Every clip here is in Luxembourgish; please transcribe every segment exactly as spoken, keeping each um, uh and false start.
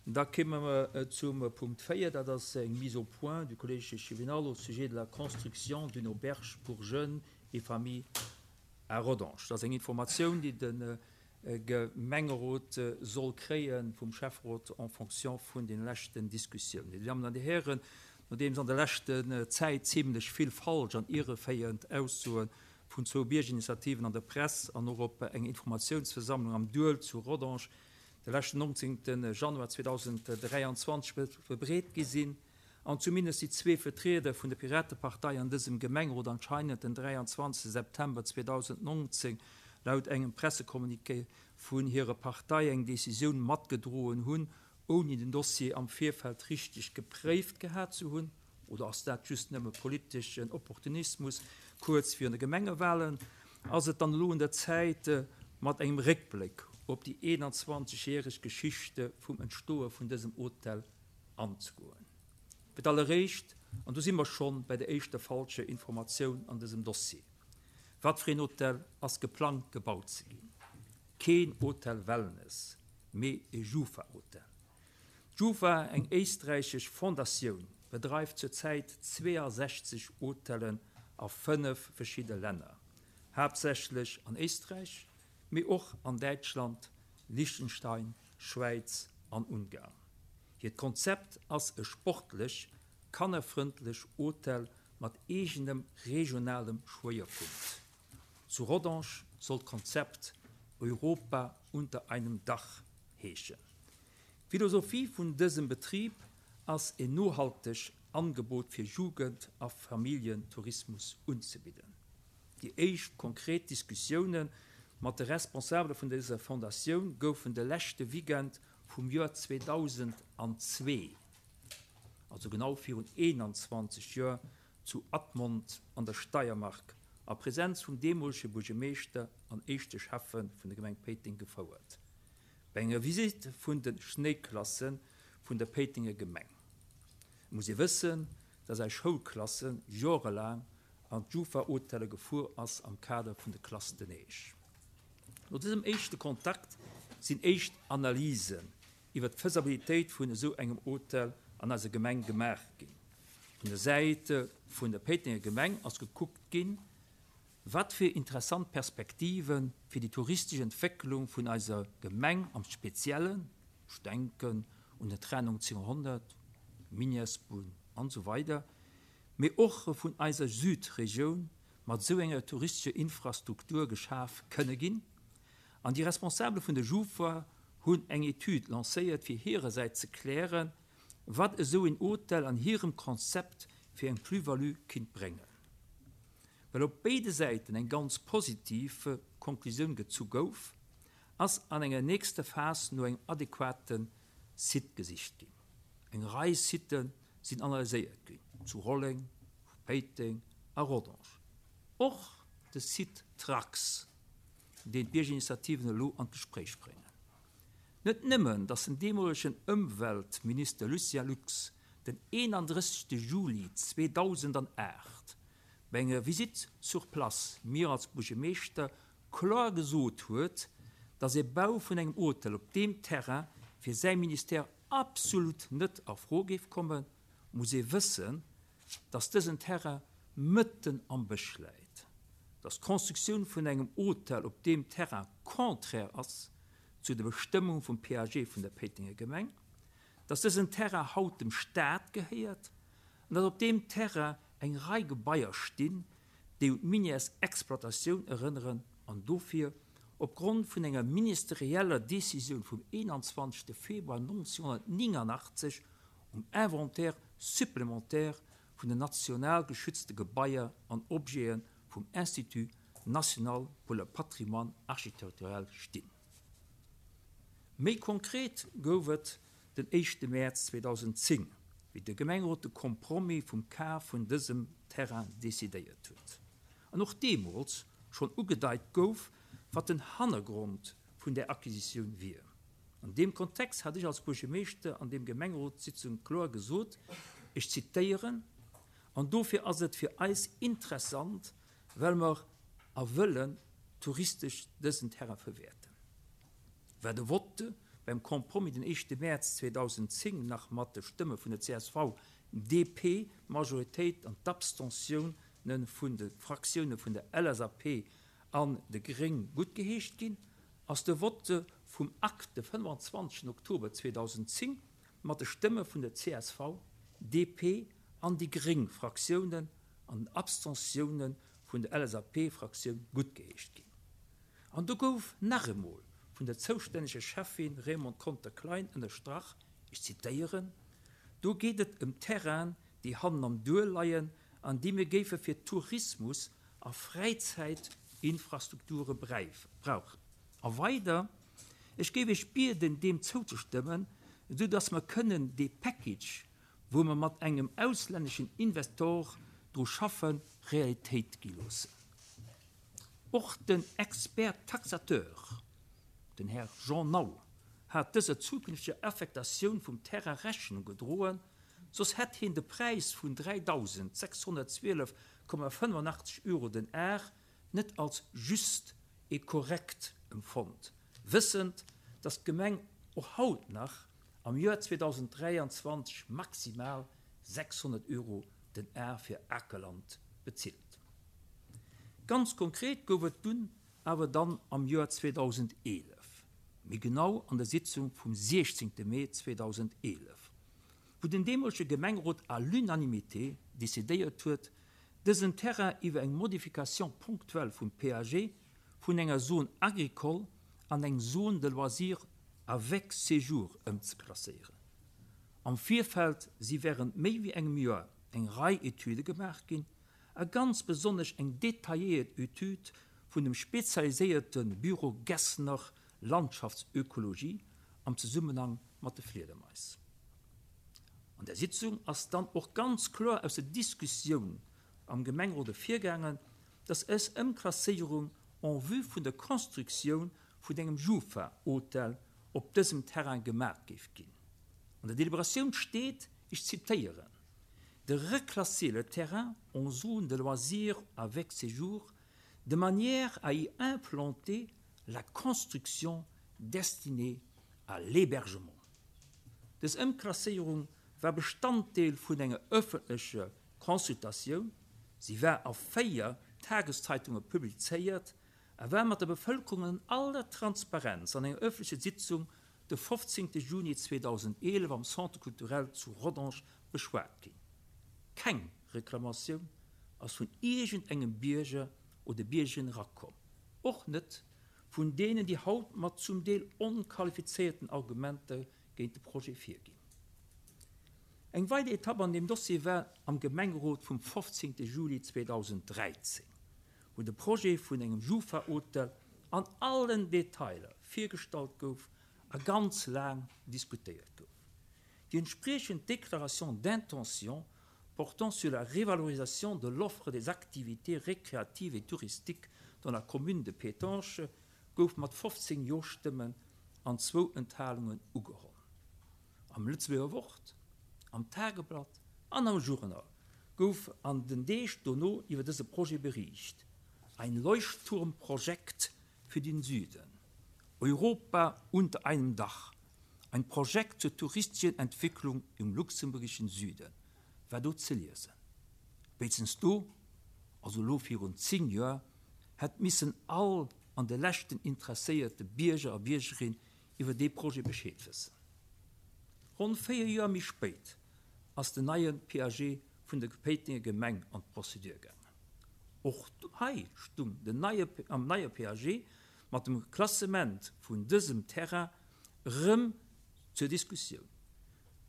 Da kéime mer zum Punkt véier, dat ass eng Mise au point du Collège échevinal au sujet de la construction d'une auberge pour jeunes et familles à Rodange. Dat ass eng Informatioun, déi de Gemengerot soll kréie vum Schäfferot en fonction vun de leschten Diskussiounen. Dir Dammen an Dir Hären, nodeems an der leschten Zäit zimlech vill falsch an irreféierend Aussoe vun zwou Biergerinitiativen an der Press an och op enger Informatiounsversammlung am Duel zu Rodange de leschten nonzéngte Januar zweedausenddräianzwanzeg verbreet gi sinn, an zumindest déi zwee Vertrieder vun der Piratepartei an dësem Gemengerot anscheinend den dräianzwanzegste September zweedausendnonzéng laut engem Pressecommuniqué vun hirer Partei eng Decisioun matgedroen hunn, ouni den Dossier am Virfeld richteg gepréift gehat ze hunn, oder ass dat just nëmme politeschen Opportunismus kuerz virun de Gemengewahlen, ass et dann elo un der Zäit, mat engem Réckbléck op déi eenanzwanzeg järeg Geschichte vum Entstoe vun dësem Hotel anzegoen. Fir d'alleréischt, an do si mer schonn bei der éischter falscher Informatioun an dësem Dossier, Wat fir een Hotel ass geplangt gebaut ze ginn? Keen Hotel Wellness, mee e Jufa-Hotel. D'Jufa, eng éisträichesch Fondatioun, bedreift zur Zäit zweeasechzeg Hotellen a fënnef verschidde Länner, haaptsächlech an Éisträich, mee och an Däitschland, Liechtenstein, Schwäiz an Ungarn. Hiert Konzept ass e sportlech, kannerfrëndlech Hotel mat eegenem regionalem Schwéierpunkt. Zu Rodange soll d'Konzept Europa unter einem Dach heeschen. D'Philosophie vun dësem Betrib ass en nohalteg Angebot fir Jugend a Familljentourismus unzebidden. Déi éischt konkret Diskussioune mat de Responsabele vun dëser Fondatioun goufen de leschte Weekend vum Joer zweedausendzwee, also genau virun eenanzwanzeg Joer, zu Admont an der Steiermark a Presenz vum deemolege Buergermeeschter an éischte Schäffe vun der Gemeng Péiteng gefouert, bei enger Visitt vun de Schnéiklasse vun der Péitenger Gemeng. Et muss ee wëssen, dass eis Schoulklasse jorelaang an d'Jufa-Hotelle gefuer ass am Kader vun de Classes de neige. No dësem éischte Kontakt sinn éischt Analysen iwwer d'Faisabilitéit vun esou engem Hotel an eiser Gemeng gemaach ginn. Vun der Säit vun der Péitenger Gemeng ass gekuckt ginn, wat fir interessant Perspektive fir déi touristesch Entwécklung vun eiser Gemeng am Speziellen, ech denken un den Train nonzénghonnert, d'Minièresbunn an esou weider, mee och vun eiser Südregioun mat esou enger touristescher Infrastruktur geschaf kënne ginn. An déi Responsabele vun der Jufa hunn eng Etüd lancéiert, fir hirersäits ze klären, wat esou een Hotel an hirem Konzept fir eng Plus-value kinnt bréngen. Well op béide Säiten eng ganz positiv Konklusioun gezu gouf, ass an enger nächster Phas no engem adequate Site gesicht ginn. Eng Rei Sitë sinn analyséiert ginn, zu Rolleng, Péiteng a Rodange. Och de Site Trax, deen d'Biergerinitiativen elo an d'Gespréich bréngen. Net nëmmen, datt den deemolegen Ëmweltminister Lucien Lux den eenandrëssegste Juli zweedausendanaacht bei enger Visite sur place mir als Buergermeeschter kloer gesot huet, datt e Bau vun engem Hotel op deem Terrain fir säi Ministère absolut net a Fro géif kommen, muss ee wëssen, datt dësen Terrain mëtten am Bësch läit, datt d'Constructioun vun engem Hotel op deem Terrain contraire ass zu de Bestëmmung vum P A G vun der Péitenger Gemeng, datt dësen Terrain haut dem Staat gehéiert an datt op deem Terrain eng Rei Gebaier stinn, déi un d'Minièresexploitatioun erënneren an dofir opgrond vun enger ministerieller Decisioun vum eenanzwanzegste Februar nonzénghonnertnénganaachtzeg um Inventaire supplémentaire vun den national geschützte Gebaier an Objete vum Institut national pour le patrimoine architectural stinn. Méi konkret gouf et den éischte Mäerz zweedausendzéng, wéi de Gemengerot de Compromis vum Kaf vun dësem Terrain decidéiert huet an och deemools schonn ugedeit gouf, wat den Hannergrond vun där Acquisitioun wier. An deem Kontext hat ech als Buergermeeschter an deem Gemengerotssitzung kloer gesot, ech zitéieren, An dofir ass et fir eis interessant, well mer a wëllen touristesch dësen Terrain verwäerten. War de Vote beim Compromis den éischte Mäerz zweedausendzéng nach mat de Stëmme vun der C S V D P Majoritéit an d'Abstentiounen vun de Fraktioune vun der L S A P an de Gréng guttgeheescht ginn, ass de Vote vum Akt de fënnefanzwanzegsten Oktober zweedausendzéng mat de Stëmme vun der C S V, D P an déi gréng Fraktiounen an den Abstentiounen vun der L S A P Fraktioun guttgeheescht ginn. An do gouf nach emol vun der zoustänneger Schäffin Raymonde Conter-Klein ënnerstrach, ech zitéieren, Do geet et ëm Terrainen, déi hannen am Duerf leien an déi mir géife fir Tourismus a Fräizäitinfrastrukture brauchen. A weider, Ech géif iech bieden, deem zouzestëmmen, esou dass mer kënnen dee Package, wou mer mat engem auslänneschen Investor dru schaffen, Realitéit gi loossen. Och den Expert taxateur, den Här Jean Nau, hat dëser zukünfteger Affektatioun vum Terrain Rechnung gedroen, soss hätt hien de Präis vun dräidausendsechshonnertzwielef Komma fënnefanachteg Euro den Ar net als juste et correct empfonnt, wëssend, dass d'Gemeng och haut nach am Joer zweedausenddräianzwanzeg maximal sechshonnert Euro den Ar fir Akerland bezilt. Ganz konkret gouf et dunn awer dann am Joer zweedausendeelef, méi genau an der Sitzung vum siechzéngte Mee zweedausendeelef, wou den deemolege Gemengerot à l'unanimité decidéiert huet, dësen Terrain iwwer eng Modification ponctuelle vum P A G vun enger Zone agricole an eng Zone de loisirs avec séjour ëmzeklasséieren. Am Virfeld si wärend méi wéi engem Joer eng Rei Etüde gemaach ginn, a ganz besonnesch eng detailléiert Etüd vun dem spezialiséierte Büro Gessner Landschaftsökologie am Zesummenhang mat de Fliedermais. An der Sitzung ass dann och ganz kloer aus der Diskussioun am Gemengerot ervirgaangen, dass dës Ëmklasséierung en vue vun der Constructioun vun engem Jufa-Hotel op dësem Terrain gemaach géif ginn. An der Deliberatioun steet, ech zitéieren, de reclasser le terrain en zone de loisirs avec séjour de manière à y implanter la construction destinée à l'hébergement. Dës Ëmklasséierung war Bestanddeel vun enger ëffentlecher Consultatioun, si war a véier Tageszeitunge publizéiert a war mat der Bevëlkerung an aller Transparenz an enger ëffentlecher Sitzung de fofzéngte Juni zweedausendeelef am Centre culturel zu Rodange beschwat ginn. Keng Reklamatioun ass vun iergendengem Bierger oder Biergerin erakomm, och net vun deenen, déi haut mat zum Deel onqualifizéierten Argumenter géint de Projet virginn. Eng weider Etapp an deem Dossier war am Gemengerot vum fofzéngte Juli zweedausenddräizéng, wou de Projet vun engem Jufa-Hotel an allen Detailer virgestallt gouf a ganz laang diskutéiert gouf. Déi entspriechend Déclaration d'intention portant sur la revalorisation de l'offre des activités récréatives et touristiques dans la commune de Pétange gouf mat fofzéng Jo-Stëmmen an zwou Enthalungen ugeholl. Am Lëtzebuerger Wort, am Tageblatt an am Journal gouf an den Deeg dono iwwer dëse Projet bericht. Ein Leuchtturmprojekt für den Süden. Europa unter einem Dach. Ein Projekt zur touristischen Entwicklung im luxemburgischen Süden war do ze liesen. Spéitstens do, also elo virun zéng Joer, hätt missen all an de leschten interesséierte Bierger a Biergerin iwwer dee Projet Bescheed wëssen. Ronn véier Joer méi spéit ass den neie P A G vun der Péitenger Gemeng an d'Prozedur gaangen. Och hei stung den neie, am neie P A G mat dem Klassement vun dësem Terrain rëm zur Diskussioun,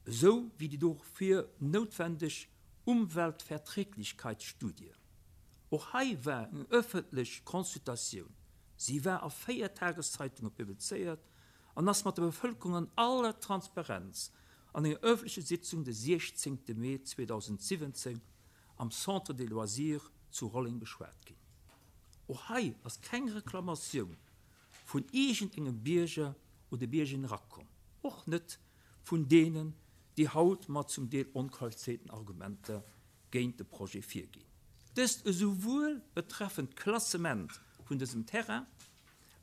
esou wéi déi dofir noutwendeg Umweltverträglichkeitsstudie. Och hei war eng ëffentlech Consultatioun, si war a véier Tageszeitunge publizéiert an ass mat der Bevëlkerung an aller Transparenz an enger ëffentlecher Sitzung de siechzéngte Mee zweedausensiwwenzéng am Centre des loisirs zu Rolleng beschwat ginn. Och hei ass keng Reklamatioun vun iergendengem Bierger oder Biergerin erakomm, och net vun deenen, déi haut mat zum Deel onqualifizéierten Argumenter géint de Projet virginn. Dëst esouwuel betreffend d'Klassement vun dësem Terrain,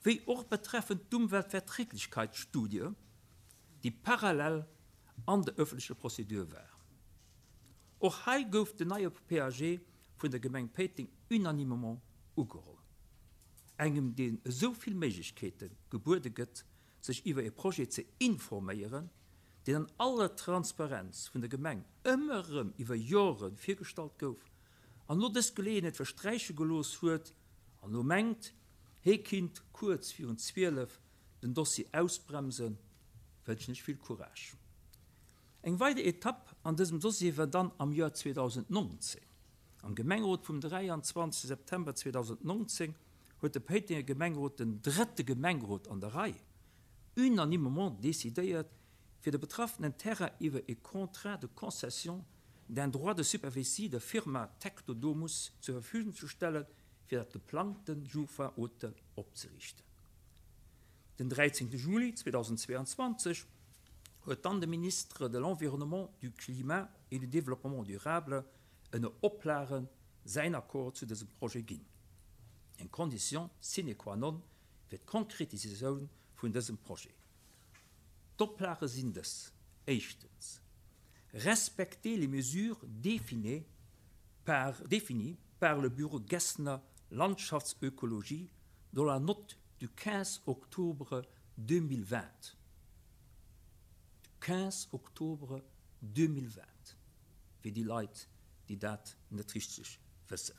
wéi och betreffend d'Umweltverträglichkeitsstudie, déi parallel an der ëffentlecher Prozedur war. Och hei gouf den neie P A G vun der Gemeng Péiteng unanimement ugeholl. Engem, deen esou vill Méiglechkeete gebuede gëtt, sech iwwer e Projet ze informéieren, deen an aller Transparenz vun der Gemeng ëmmer erëm iwwer Jore virgestallt gouf an elo dës Geleeënheet versträiche gelooss huet an elo mengt, hie kinnt kuerz virun zwielef den Dossier ausbremsen, wënschen ech vill Courage. Eng weider Etapp an dësem Dossier war dann am Joer zweedausendnonzéng. Am Gemengerot vum dräianzwanzegste September zweedausendnonzéng huet de Péitenger Gemengerot, den drëtte Gemengerot an der Rei, unanimement decidéiert, fir de betraffenen Terrain iwwer e Contrat de concession d'un droit de superficie der Firma Tectodomus zur Verfügung ze stellen, fir dat geplangte Jufa-Hotel opzeriichten. Den dräizéngte Juli zweedausendzweeanzwanzeg huet dann de Ministre de l'Environnement, du Climat et du Développement durable ënner Oplage säin Accord zu dësem Projet ginn. Eng Condition sine qua non fir d'Konkretisatioun vun dësem Projet. D'Oplage sinn dës: Éischtens, respecter les mesures définies par, définies par le bureau Gessner Landschaftsökologie dans la note du quinze octobre deux mille vingt. Du quinze octobre deux mille vingt, fir déi Leit, déi dat net richteg wëssen.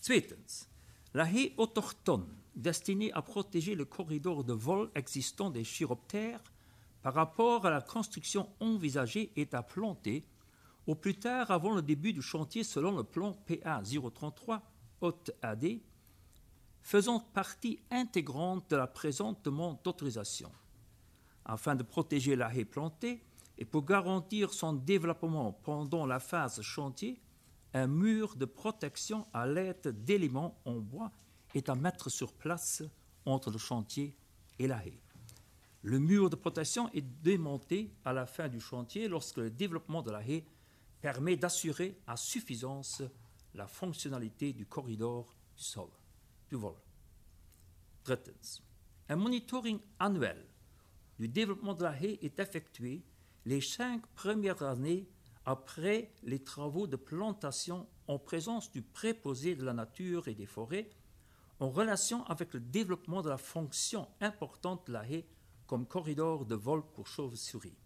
Zweetens, la haie autochtone destinée à protéger le corridor de vol existant des chiroptères par rapport à la construction envisagée est à planter au plus tard avant le début du chantier selon le plan P A zéro trente-trois haute A D, faisant partie intégrante de la présente demande d'autorisation. Afin de protéger la haie plantée et pour garantir son développement pendant la phase chantier, un mur de protection à l'aide d'éléments en bois est à mettre sur place entre le chantier et la haie. Le mur de protection est démonté à la fin du chantier lorsque le développement de la haie permet d'assurer à suffisance la fonctionnalité du corridor du sol, du vol. Drittens, un monitoring annuel du développement de la haie est effectué les cinq premières années après les travaux de plantation en présence du préposé de la nature et des forêts, en relation avec le développement de la fonction importante de la haie comme corridor de vol pour chauves-souris.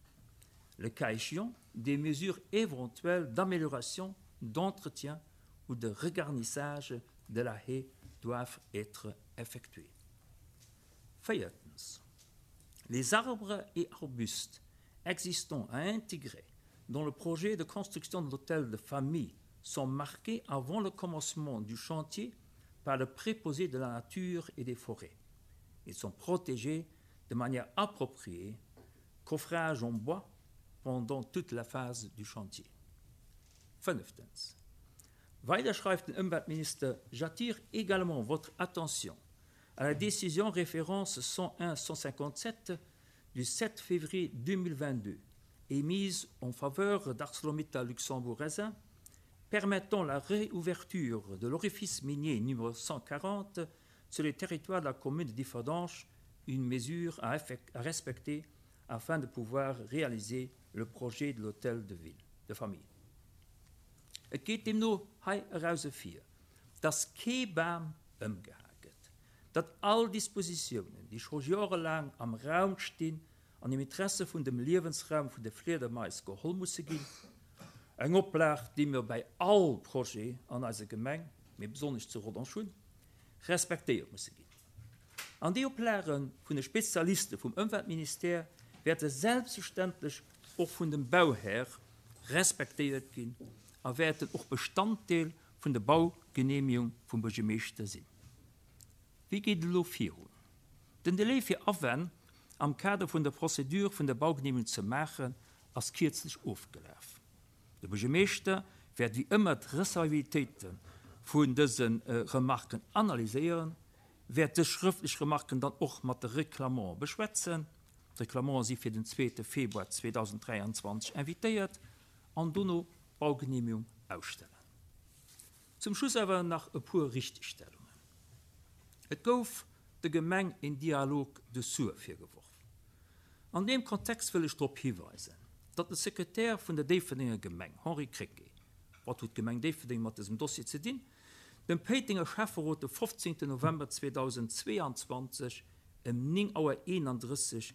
Le cas échéant, des mesures éventuelles d'amélioration, d'entretien ou de regarnissage de la haie doivent être effectuées. Viertens, les arbres et arbustes existants à intégrer dans le projet de construction de l'hôtel de famille sont marqués avant le commencement du chantier par le préposé de la nature et des forêts. Ils sont protégés de manière appropriée, coffrage en bois, pendant toute la phase du chantier. Fünftens. Weider schreift den Umweltminister, j'attire également votre attention à la décision référence cent un cent cinquante-sept du sept février deux mille vingt-deux, émise en faveur d'ArcelorMittal Luxembourg S A, permettant la réouverture de l'orifice minier numéro cent quarante sur le territoire de la commune de Differdange, une mesure à effec-, à respecter afin de pouvoir réaliser le projet de l'hôtel de ville, de famille. Et geet deemno hei eraus ervir, dass kee Bam ëmgehae gëtt, datt all Dispositiounen, déi scho jorelaang am Raum stinn, an im Interesse vun dem Liewensraum vun de Fliedermais geholl musse ginn, eng Oplag, déi mir bei all Projet an eiser Gemeng, mee besonnesch zu Rodange hunn, respektéiert musse ginn. An déi Oplage vun de Spezialiste vum Ëmweltministère wäerte selbstverständlech och vun dem Bauherr respektéiert ginn a wäerten och Bestanddeel vun der Baugenehmigung vum Buergermeeschter sinn. Wie geet elo virun? Den Delai fir Awänn am Kader vun der Prozedur vun der Baugenehmigung ze maachen, ass kierzlech ofgelaf. De Buergermeeschter wäert wie ëmmer d'Recevabilitéite vun dësen, äh, Remarken analyséieren, wäert dës schrëftlech Remarken dann och mat de Reklamant beschwätzen. D'Reklamant si fir den zweete Februar zweetausenddräianzwanzeg invitéiert an dono Baugenehmigung ausstellen. Zum Schluss awer nach e puer Richtigstellungen. Et gouf de Gemeng en Dialog de sourds virgeworf. An deem Kontext wëll ech drop hiweisen, datt de Sekretär vun der Déifferdenger Gemeng, Henri Krecké, wat huet d'Gemeng Déifferdeng mat dësem Dossier ze dinn? Dem Péitenger Schäfferot de fofzéngten November zweedausendzweeanzwanzeg ëm néng Auer eenandrësseg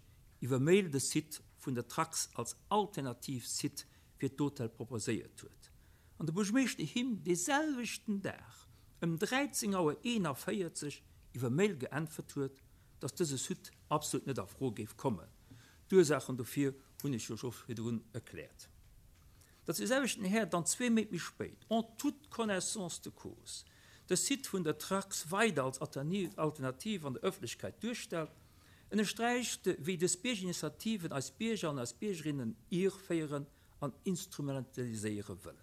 iwwer Mail de Site vun der Trax als alternativ Site fir d'Hotel proposéiert huet an de Buergermeeschter him dee selwechten Dag ëm dräizéng Auer eenavéierzeg iwwer Mail geäntwert huet, datt dëse Site absolut net a Fro géif kommen. D'Ursaachen dofir hunn ech jo scho virdrun erkläert. Datt dee selwechten Här dann zwee Méint méi spéit, en toute connaissance de cause, de Site vun der Trax weider als Alternativ an der Ëffentlechkeit duerstellt, ënnersträicht, wéi dës Biergerinitiativen eis Bierger an eis Biergerinnen irféieren an instrumentaliséiere wëllen.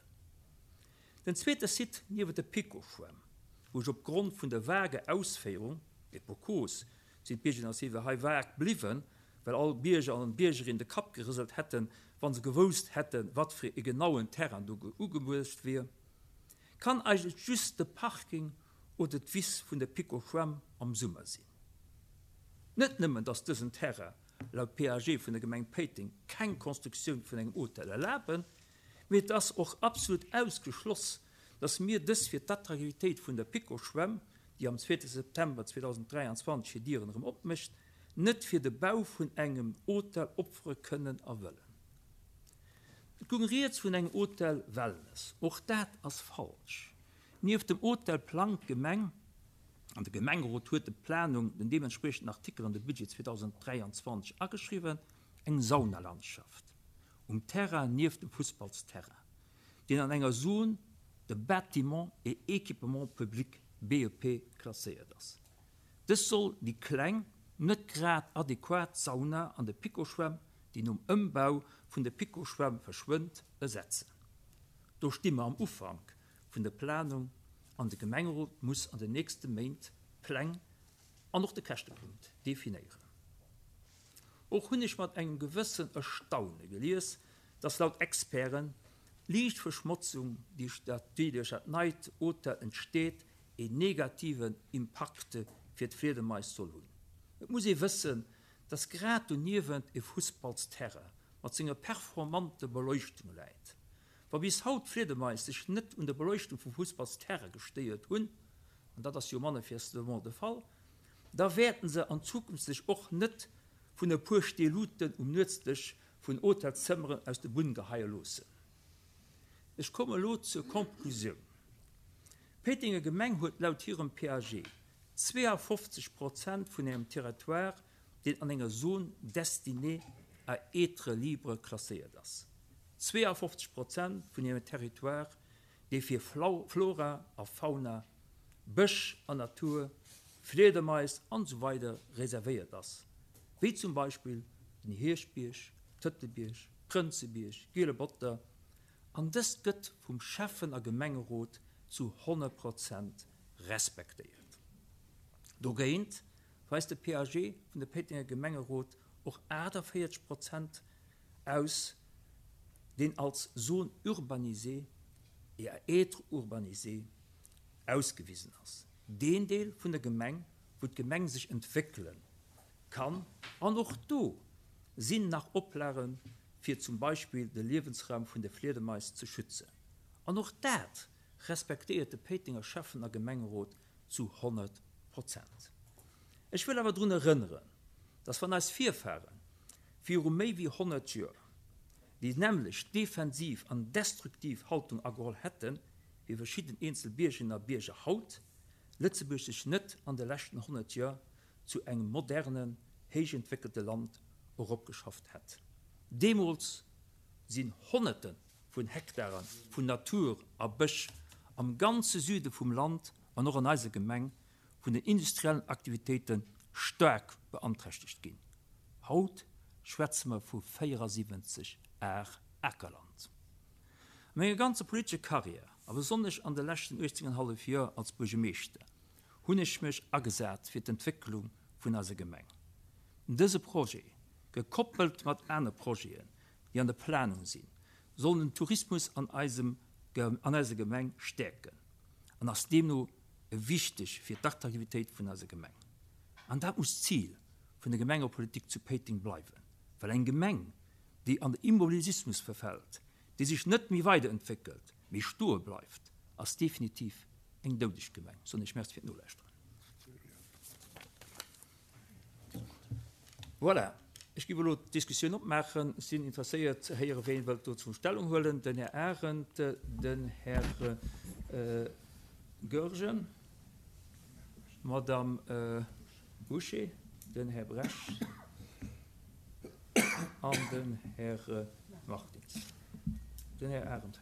Den zweete Site niewent der PiKo-Schwämm, wou ech opgrond vun der vager Ausféierung, et pour cause sinn d'Biergerinitiative hei vag bliwwen, well all Bierger an Biergerin de Kapp gerëselt hätten, wa se gewousst hätten, wat fir e genauen Terrain do ugeluecht wier, kann eigentlech just de Parking oder d'Wiss vun der PiKo-Schwämm am Summer sinn. Net nëmmen, datt dësen Terrain laut P A G vun der Gemeng Péiteng keng Konstruktioun vun engem Hotel erlaben, mee et ass och absolut ausgeschloss, datt mir dës fir d'Attraktivitéit vun der PiKo-Schwämm, déi am zweete September zweedausenddräianzwanzeg hir Dieren erëm opmécht, net fir de Bau vun engem Hotel opfere kënnen a wëllen. Et goung rieds vun engem Hotel Wellness. Och dat ass falsch. Nieft dem Hotel plangt d'Gemeng, an de Gemengerot huet de Planung den deementspriechenden Artikel an de Budget zweedausenddräianzwanzeg ageschriwwen, eng Saunalandschaft um Terrain nieft dem Fussballsterrain, deen an enger Zone de bâtiments et équipements publics B E P klasséiert ass. Dës soll déi kleng, net grad adequat Sauna an der PiKo-Schwämm, déi nom Ëmbau vun der PiKo-Schwämm verschwënnt, ersetzen. Do sti mer am Ufank vun der Planung an de Gemengerot muss an den nächste Méint d'Pläng an och de Käschtepunkt definéieren. Och hunn ech mat engem gewëssen Erstaune gelies, datt laut Experten d'Liichtverschmotzung, déi duerch dat neit Hotel entsteet, een negativen Impakt fir d'Fliedermais soll hunn. Et muss ee wëssen, datt grad doniewent e Fussballsterrain mat senger performanter Beleuchtung läit. Wa bis haut d'Fliedermais sech net un der Beleuchtung vum Fussballsterrain gestéiert hunn, an dat ass jo manifestement de Fall, da wäerten se an Zukunft sech och net vun e puer Steeluten um Nuetsdësch vun Hotelzëmmeren aus der Bunn geheie loossen. Ech komme lo zur Konklusioun. D'Péitenger Gemeng huet laut hirem P A G zweeafofzeg Prozent vun hirem Territoire, deen an enger Zone destinée à être libre klasséiert ass. Zweeafofzeg Prozent vun hirem Territoire, dee fir Flora a Fauna, Bësch an Natur, Fliedermais an esou weider reservéiert ass, wéi zum Beispill den Hierschtbierg, Tëtelbierg, Prënzebierg, Giele Botter, an dëst gëtt vum Schäffen a Gemengerot zu honnert Prozent respektéiert. Dogéint weist de P A G vun de Péitenger Gemengerot och aachtavéierzeg Prozent aus, deen als Zone urbanisée et à être urbanisée ausgewisen ass. Deen Deel vun der Gemeng, wou d'Gemeng sech entwéckele kann, an och do sinn nach Oplage fir zum Beispill de Liewensraum vun de Fliedermais ze schützen. An och dat respektéiert de Péitenger Schäffen a Gemengerot zu honnert Prozent. Ech wëll awer drun erënneren, datt wann eis Virfare viru méi wéi honnert Joer déi nämmlecht defensiv an destruktiv Haltung ageholl hätten, wéi verschidden eenzel Biergerinnen a Bierger haut, Lëtzebuerg sech net an de leschten honnert Joer zu engem modernen, héich entwéckelte Land eropgeschafft hätt. Deemools sinn Honnerte vun Hektare vun Natur a Bësch am ganze Süde vum Land an och an eiser Gemeng vun den industriellen Aktivitéite staark beanträchtegt ginn. Haut schwätze mer vu véierasiwwenzeg Ar Akerland. A menger ganzer politescher Karriär, a besonnesch an de leschten uechtzéng an hallef Joer als Buergermeeschter, hunn ech mech agesat fir d'Entwécklung vun eiser Gemeng. Dëse Projet, gekoppelt mat anere Projeten, déi an der Planung sinn, soll den Tourismus an eisem an eiser Gemeng stäerken an ass deemno wichteg fir d'Attraktivitéit vun eiser Gemeng. An dat muss d'Zil vun der Gemengepolitik zu Péiteng bleiwen, Well eng Gemeng, déi an de Immobilismus verfält, déi sech net méi weiderentwéckelt, mee stoe bleift, ass definitiv eng doudeg Gemeng. Soen ech Merci fir d'Nolauschteren. Voilà, ech géif elo d'Diskussioun opmaachen. Ech sinn interesséiert ze héieren, ween wëllt dozou Stellung huelen. Den Här Arendt, den Här Goergen, d'Madame Bouché, den Här Bresch an den Här Martins. Den Här Arendt fänkt.